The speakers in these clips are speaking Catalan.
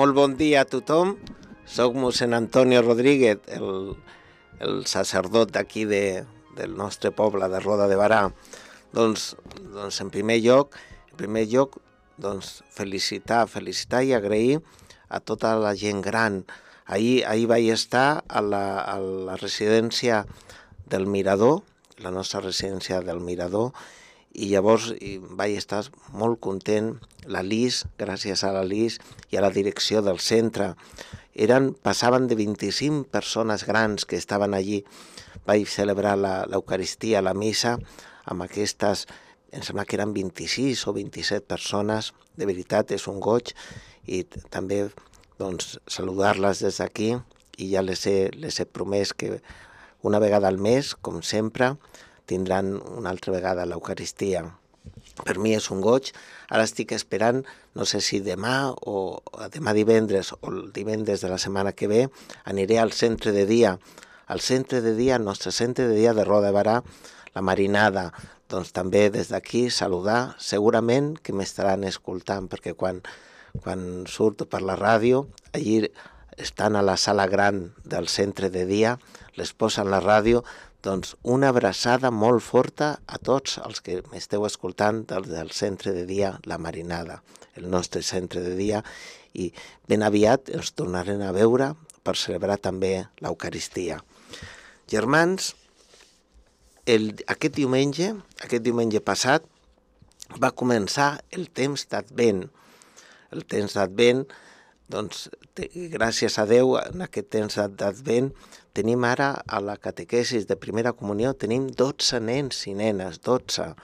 Molt bon dia a tothom. Soc mossèn Antonio Rodríguez, el sacerdot d'aquí del nostre poble de Roda de Barà. Doncs en primer lloc, felicitar i agrair a tota la gent gran. Ahir vaig estar a la residència del Mirador, la nostra residència del Mirador, i llavors vaig estar molt content. La Lis, gràcies a la Lis i a la direcció del centre, passaven de 25 persones grans que estaven allí. Vaig celebrar l'Eucaristia, la missa, amb aquestes, em sembla que eren 26 o 27 persones. De veritat, és un goig, i també saludar-les des d'aquí, i ja les he promès que una vegada al mes, com sempre, tindran una altra vegada l'Eucaristia. Per mi és un goig. Ara estic esperant, no sé si demà divendres o el divendres de la setmana que ve, aniré al centre de dia. Al nostre centre de dia de Roda de Barà, la Marinada. Doncs també des d'aquí saludar, segurament que m'estaran escoltant, perquè quan surto per la ràdio, allí estan a la sala gran del centre de dia, les posen la ràdio. Doncs una abraçada molt forta a tots els que m'esteu escoltant del centre de dia La Marinada, el nostre centre de dia, i ben aviat ens tornarem a veure per celebrar també l'Eucaristia. Germans, aquest diumenge passat va començar el temps d'Advent. El temps d'Advent, doncs, gràcies a Déu, en aquest temps d'Advent, tenim ara a la catequesis de primera comunió, tenim 12 nens i nenes, 12,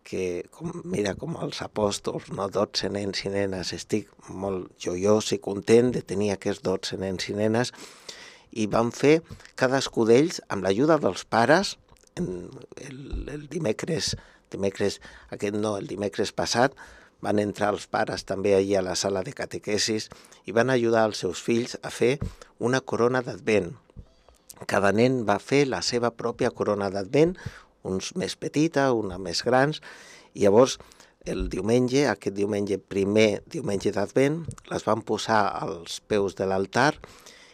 que, mira, com els apòstols, no? 12 nens i nenes. Estic molt joiós i content de tenir aquests 12 nens i nenes, i vam fer cadascú d'ells, amb l'ajuda dels pares, el dimecres passat, van entrar els pares també allà a la sala de catequesis i van ajudar els seus fills a fer una corona d'Advent. Cada nen va fer la seva pròpia corona d'Advent, uns més petita, una més grans, i llavors el diumenge, aquest diumenge, primer diumenge d'Advent, les van posar als peus de l'altar,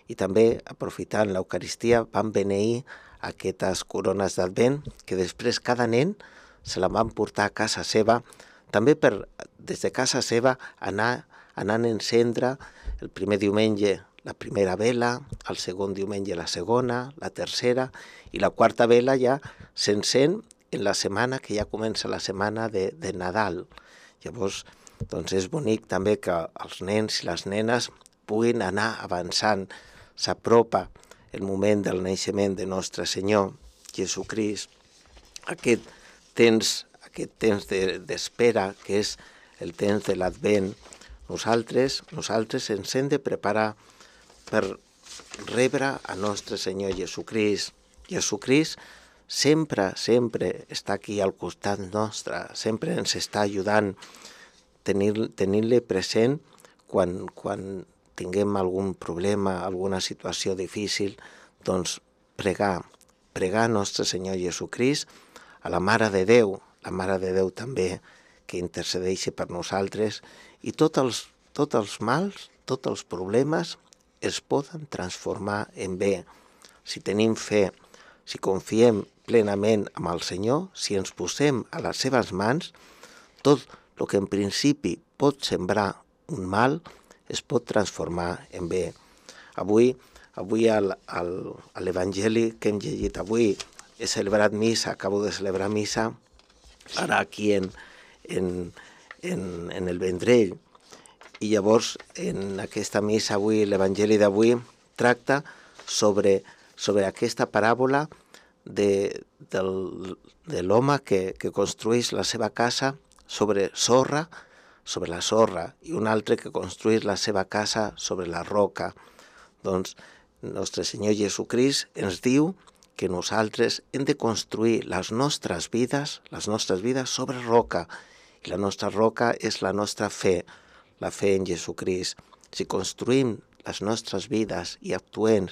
i també, aprofitant l'Eucaristia, van beneir aquestes corones d'Advent, que després cada nen se la van portar a casa seva, també des de casa seva anant a encendre el primer diumenge la primera vela, el segon diumenge la segona, la tercera, i la quarta vela ja s'encén en la setmana, que ja comença la setmana de Nadal. Llavors, doncs és bonic també que els nens i les nenes puguin anar avançant. S'apropa el moment del naixement de Nostre Senyor Jesucrist. Aquest temps d'espera, que és el temps de l'Advent, nosaltres ens hem de preparar per rebre a Nostre Senyor Jesucrist. Jesucrist sempre està aquí al costat nostre, sempre ens està ajudant, tenint-le present quan tinguem algun problema, alguna situació difícil, doncs pregar a Nostre Senyor Jesucrist, a la Mare de Déu també, que intercedeixi per nosaltres, i tots els mals, tots els problemes es poden transformar en bé. Si tenim fe, si confiem plenament en el Senyor, si ens posem a les seves mans, tot el que en principi pot sembrar un mal es pot transformar en bé. Avui a l'Evangeli que hem llegit avui, he celebrat missa, acabo de celebrar missa, ara aquí en el Vendrell. I llavors, en aquesta missa avui, l'Evangeli d'avui, tracta sobre aquesta paràbola de l'home que construeix la seva casa sobre la sorra, i un altre que construeix la seva casa sobre la roca. Doncs Nostre Senyor Jesucrist ens diu que nosaltres hem de construir les nostres vides sobre roca, i la nostra roca és la nostra fe, la fe en Jesucrist. Si construïm les nostres vides i actuem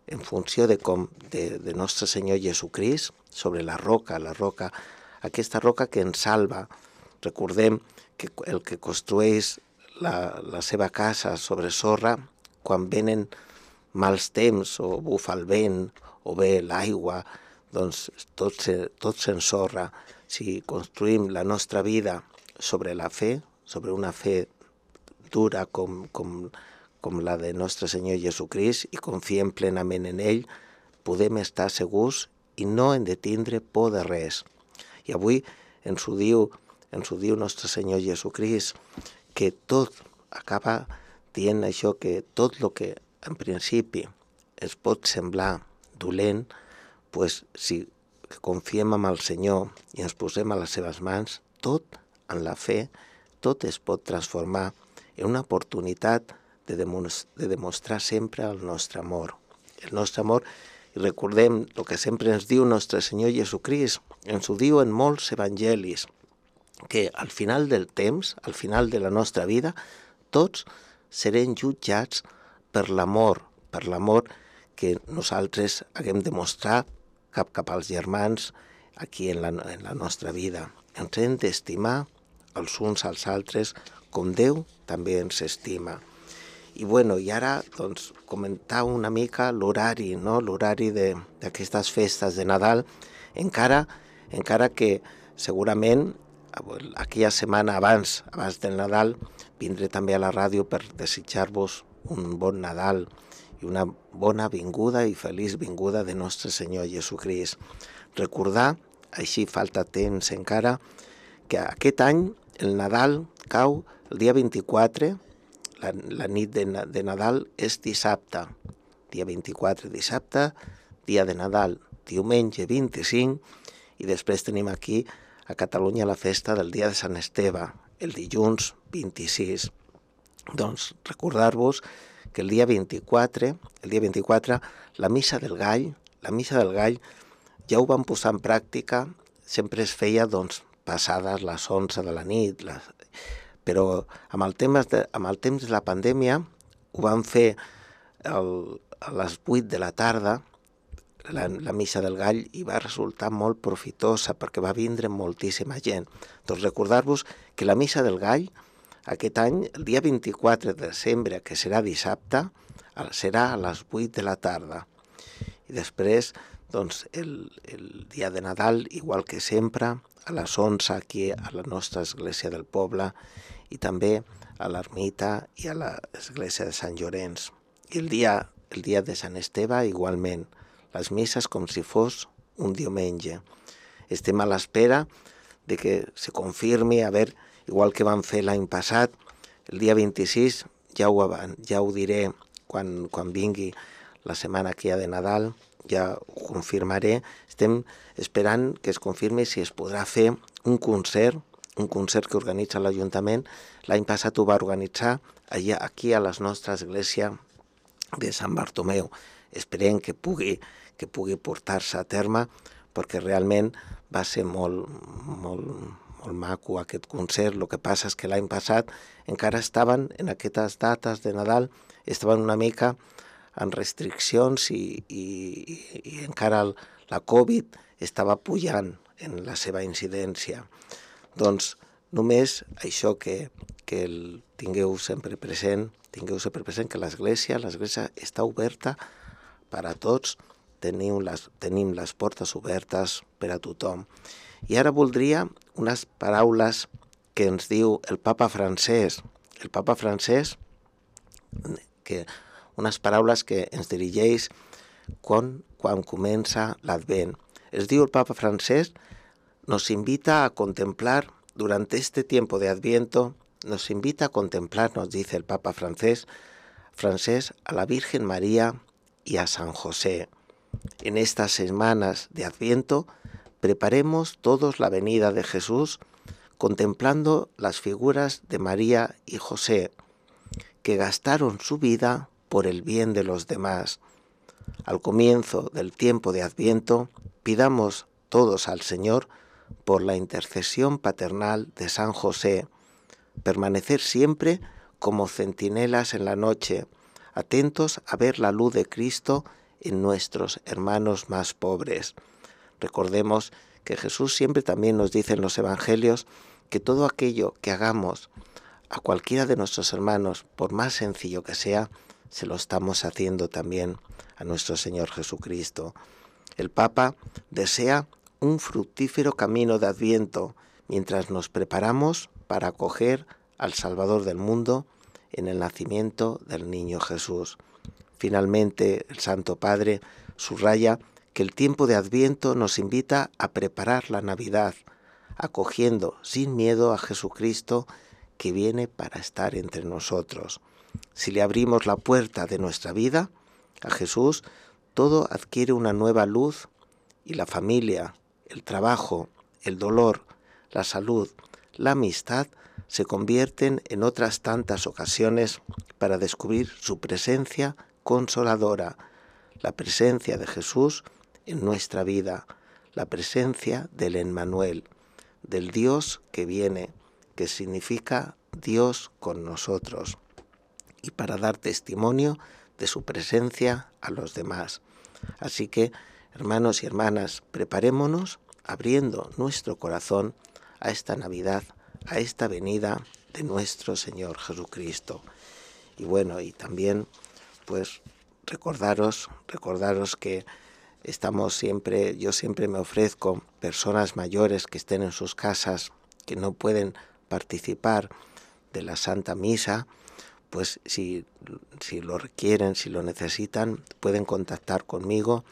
en funció de Nostre Senyor Jesucrist, sobre la roca, aquesta roca que ens salva. Recordem que el que construeix la seva casa sobre sorra, quan venen mals temps o bufa el vent o ve l'aigua, doncs tot s'ensorra. Si construïm la nostra vida sobre la fe, sobre una fe dura com la de nostre Senyor Jesucrist i confiem plenament en ell, podem estar segurs i no hem de tindre por de res. I avui ens ho diu nostre Senyor Jesucrist, que tot acaba dient això, que tot el que en principi es pot semblar dolent, pues, si confiem en el Senyor i ens posem a les seves mans, tot en la fe, tot es pot transformar en una oportunitat de demostrar sempre el nostre amor. El nostre amor, i recordem el que sempre ens diu nostre Senyor Jesucrist, ens ho diu en molts evangelis, que al final del temps, al final de la nostra vida, tots serem jutjats per l'amor que nosaltres haguem de mostrar cap als germans aquí en la nostra vida. Ens hem d'estimar els uns als altres com Déu també ens estima. I ara, doncs, comentar una mica l'horari, no? L'horari d'aquestes festes de Nadal, encara que segurament aquella setmana abans del Nadal vindré també a la ràdio per desitjar-vos un bon Nadal i una bona vinguda i feliç vinguda de nostre Senyor Jesucrist. Recordar, així falta temps encara, que aquest any el Nadal cau el dia 24, la nit de Nadal és dissabte. Dia 24, dissabte, dia de Nadal, diumenge 25, i després tenim aquí a Catalunya la festa del dia de Sant Esteve, el dilluns 26. Doncs recordar-vos que el dia 24, la missa del gall ja ho vam posar en pràctica, sempre es feia doncs passades les 11 de la nit, però amb el temps de la pandèmia ho vam fer a les 8 de la tarda, la missa del gall, i va resultar molt profitosa perquè va vindre moltíssima gent. Doncs recordar-vos que la missa del gall aquest any, el dia 24 de desembre, que serà dissabte, serà a les 8 de la tarda. I després, doncs, el dia de Nadal, igual que sempre, a les 11 aquí a la nostra església del poble i també a l'ermita i a l'església de Sant Llorenç. I el dia de Sant Esteve igualment, les misses com si fos un diumenge. Estem a l'espera de que se confirmi, igual que vam fer l'any passat, el dia 26, ja ho diré quan vingui la setmana que hi ha de Nadal, ja ho confirmaré. Estem esperant que es confirmi si es podrà fer un concert que organitza l'Ajuntament. L'any passat ho va organitzar aquí a la nostra església de Sant Bartomeu. Esperem que pugui portar-se a terme, perquè realment va ser molt maco aquest concert. El que passa és que l'any passat encara estaven, en aquestes dates de Nadal, estaven una mica en restriccions i encara la Covid estava pujant en la seva incidència. Doncs només això que tingueu sempre present que l'església està oberta per a tots, tenim les portes obertes per a tothom. I ara voldria unes paraules que ens diu el Papa Francesc. El Papa Francesc, unes paraules que ens dirigeix quan comença l'Advent. Es diu el Papa Francesc, nos invita a contemplar durante este tiempo de Adviento, nos dice el Papa Francesc, a la Virgen María y a San José. En estas semanas de Adviento, preparemos todos la venida de Jesús contemplando las figuras de María y José, que gastaron su vida por el bien de los demás. Al comienzo del tiempo de Adviento, pidamos todos al Señor, por la intercesión paternal de San José, permanecer siempre como centinelas en la noche, atentos a ver la luz de Cristo en nuestros hermanos más pobres. Recordemos que Jesús siempre también nos dice en los Evangelios que todo aquello que hagamos a cualquiera de nuestros hermanos, por más sencillo que sea, se lo estamos haciendo también a nuestro Señor Jesucristo. El Papa desea un fructífero camino de Adviento mientras nos preparamos para acoger al Salvador del mundo en el nacimiento del niño Jesús. Finalmente, el Santo Padre subraya que el tiempo de Adviento nos invita a preparar la Navidad, acogiendo sin miedo a Jesucristo que viene para estar entre nosotros. Si le abrimos la puerta de nuestra vida a Jesús, todo adquiere una nueva luz y la familia, el trabajo, el dolor, la salud, la amistad se convierten en otras tantas ocasiones para descubrir su presencia consoladora, la presencia de Jesús en nuestra vida, la presencia del Emmanuel, del Dios que viene, que significa Dios con nosotros, y para dar testimonio de su presencia a los demás. Así que, hermanos y hermanas, preparémonos abriendo nuestro corazón a esta Navidad, a esta venida de nuestro Señor Jesucristo. Y bueno, y también, pues, recordaros que estamos siempre, yo siempre me ofrezco personas mayores que estén en sus casas, que no pueden participar de la Santa Misa, pues si lo requieren, si lo necesitan, pueden contactar conmigo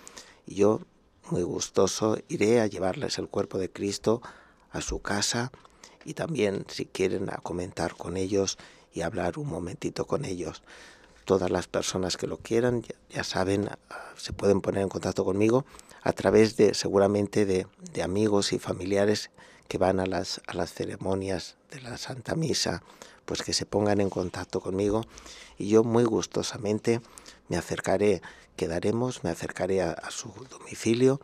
y yo, muy gustoso, iré a llevarles el cuerpo de Cristo a su casa y también si quieren a comentar con ellos y hablar un momentito con ellos. Todas las personas que lo quieran, ya saben, se pueden poner en contacto conmigo a través de, seguramente, de amigos y familiares que van a las ceremonias de la Santa Misa, pues que se pongan en contacto conmigo y yo muy gustosamente me acercaré a su domicilio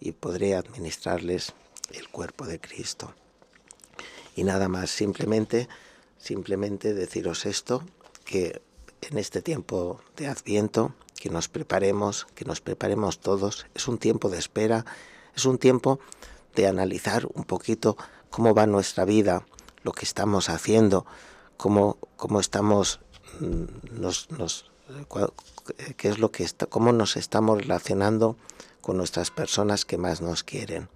y podré administrarles el cuerpo de Cristo. Y nada más, simplemente deciros esto, que en este tiempo de Adviento, que nos preparemos todos, es un tiempo de espera, es un tiempo de analizar un poquito cómo va nuestra vida, lo que estamos haciendo, cómo estamos, qué es lo que cómo nos estamos relacionando con nuestras personas que más nos quieren.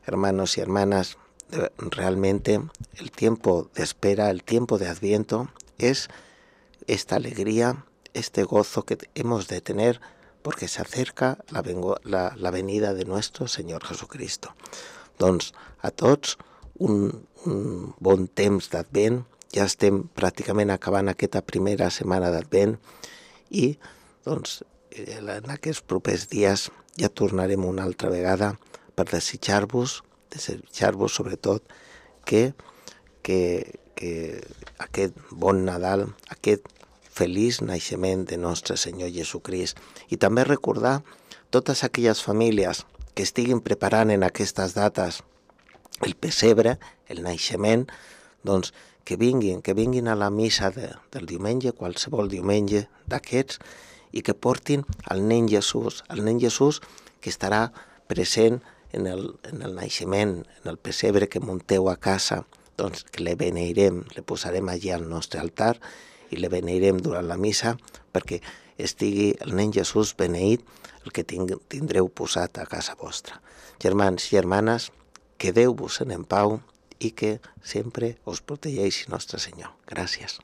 Hermanos y hermanas, realmente el tiempo de espera, el tiempo de Adviento es esta alegría, este gozo que hemos de tener porque se acerca la venida de nuestro Senyor Jesucristo. Doncs a tots un bon temps d'Advent, ja estem pràcticament acabant aquesta primera setmana d'Advent i doncs en aquests propers dies ja tornarem una altra vegada per desitjar-vos sobretot que aquest bon Nadal, aquest feliç naixement de nostre Senyor Jesucrist. I també recordar totes aquelles famílies que estiguin preparant en aquestes dates el pessebre, el naixement, doncs que vinguin a la missa del diumenge, qualsevol diumenge d'aquests, i que portin al nen Jesús que estarà present en el naixement, en el pessebre que munteu a casa, doncs que le beneirem, le posarem allí al nostre altar i le beneirem durant la missa perquè estigui el nen Jesús beneït, el que tindreu posat a casa vostra. Germans i germanes, quedeu-vos en pau i que sempre us protegeixi Nostre Senyor. Gràcies.